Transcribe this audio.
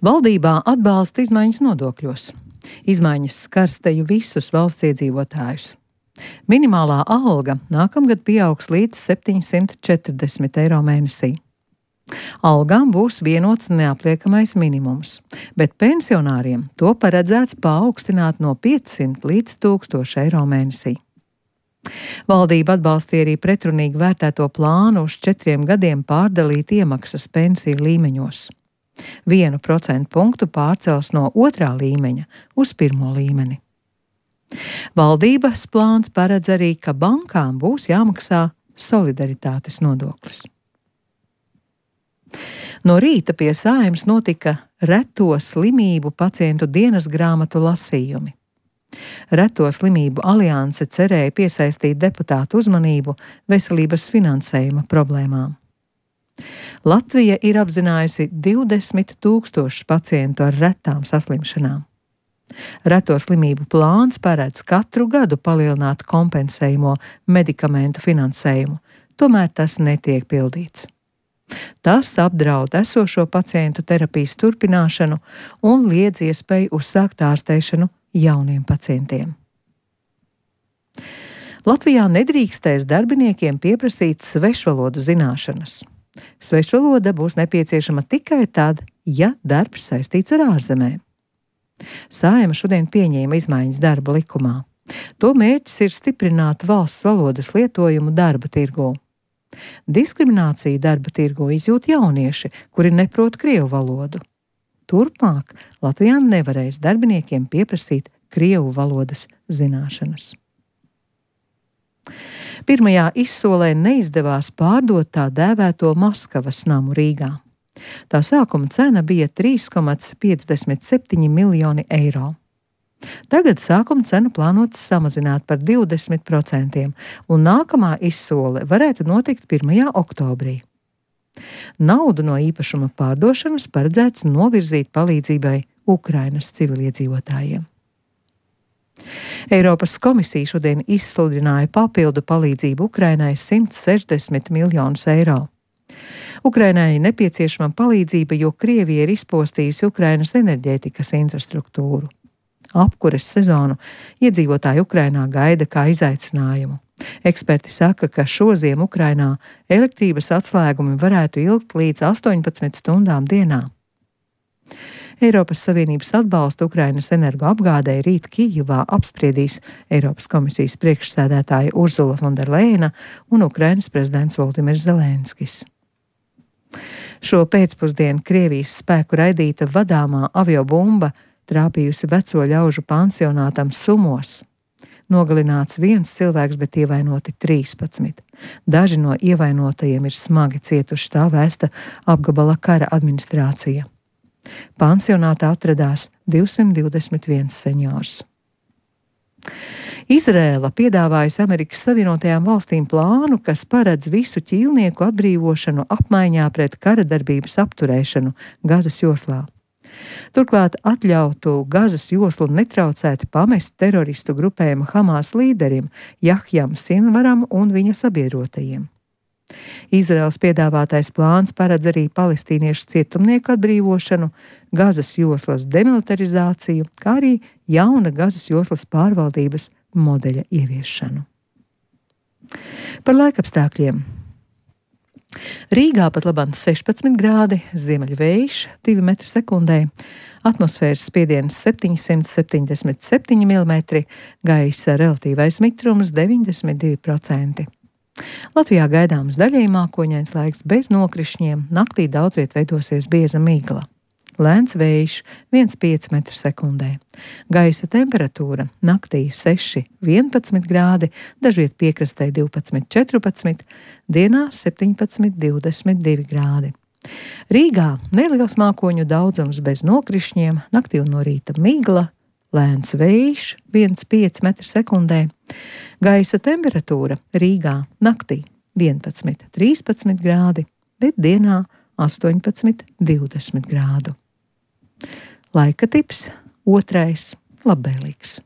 Valdībā atbalsta izmaiņas nodokļos. Izmaiņas skars teju visus valsts iedzīvotājus. Minimālā alga nākamgad pieaugs līdz 740 eiro mēnesī. Algām būs vienots neapliekamais minimums, bet pensionāriem to paredzēts paaugstināt no 500 līdz 1000 eiro mēnesī. Valdība atbalstīja arī pretrunīgi vērtēto plānu uz 4 gadiem pārdalīt iemaksas pensiju līmeņos. 1% punktu pārcels no 2. līmeņa uz 1. līmeni. Valdības plāns paredz arī, ka bankām būs jāmaksā solidaritātes nodoklis. No rīta pie Saeimas notika reto slimību pacientu dienas grāmatu lasījumi. Reto slimību alianse cerēja piesaistīt deputātu uzmanību veselības finansējuma problēmām. Latvija ir apzinājusi 20 000 pacientu ar retām saslimšanām. Reto slimību plāns paredz katru gadu palielināt kompensējumo medikamentu finansējumu, tomēr tas netiek pildīts. Tas apdraud esošo pacientu terapijas turpināšanu un liedz iespēju uzsākt ārstēšanu jauniem pacientiem. Latvijā nedrīkstēs darbiniekiem pieprasīt svešvalodu zināšanas. Svešvaloda būs nepieciešama tikai tad, ja darbs saistīts ar ārzemēm. Saeima šodien pieņēma izmaiņas darba likumā. To mērķis ir stiprināt valsts valodas lietojumu darba tirgū. Diskrimināciju darba tirgū izjūt jaunieši, kuri neprot krievu valodu. Turpmāk Latvijā nevarēs darbiniekiem pieprasīt krievu valodas zināšanas. Pirmajā izsolē neizdevās pārdot tā dēvēto Maskavas namu Rīgā. Tā sākuma cena bija 3,57 miljoni eiro. Tagad sākuma cenu plānots samazināt par 20%, un nākamā izsole varētu notikt 1. oktobrī. Naudu no īpašuma pārdošanas paredzēts novirzīt palīdzībai Ukrainas civiliedzīvotājiem. Eiropas komisija šodien izsludināja papildu palīdzību Ukrainai 160 miljonus eiro. Ukrainai nepieciešama palīdzība, jo Krievija ir izpostījusi Ukrainas enerģētikas infrastruktūru. Apkures sezonu iedzīvotāji Ukrainā gaida kā izaicinājumu. Eksperti saka, ka šoziem Ukrainā elektrības atslēgumi varētu ilgt līdz 18 stundām dienā. Eiropas Savienības atbalstu Ukrainas energoapgādei rīt Kijevā apspriedīs Eiropas komisijas priekšsēdētāja Urzula von der Leyena un Ukrainas prezidents Volodimirs Zelenskis. Šo pēcpusdienu Krievijas spēku raidīta vadāmā aviobumba trāpījusi veco ļaužu pansionātam Sumos. Nogalināts 1 cilvēks, bet ievainoti 13. Daži no ievainotajiem ir smagi cietuši, tā vēsta apgabala kara administrācija. Pansionātā atradās 221 seniors. Izrēla piedāvājusi Amerikas Savienotajām valstīm plānu, kas paredz visu ķīlnieku atbrīvošanu apmaiņā pret karadarbības apturēšanu Gazas joslā. Turklāt atļautu Gazas joslu netraucēti pamest teroristu grupējuma Hamas līderim Jahjam Sinvaram un viņa sabiedrotajiem. Izraels piedāvātais plāns paredz arī palestīniešu cietumnieku atbrīvošanu, Gazas joslas demilitarizāciju, kā arī jauna Gazas joslas pārvaldības modeļa ieviešanu. Par laikapstākļiem. Rīgā pat labāk 16 grādi, ziemeļvējš 2 metri sekundē, atmosfēras spiediens 777 mm, gaisa relatīvais mitrums 92%. Latvijā gaidāms daļēji mākoņains laiks bez nokrišņiem, naktī daudzviet veidosies bieza migla. Lēns vējš 1,5 metri sekundē. Gaisa temperatūra naktī 6,11 grādi, dažviet piekrastē 12,14, dienā 17,22 grādi. Rīgā neliels mākoņu daudzums bez nokrišņiem, naktī un no rīta migla, lēns vējš 1,5 metri sekundē. Gaisa temperatūra Rīgā naktī 11,13 grādi, bet dienā 18,20 grādu. Laika tips 2. labvēlīgs.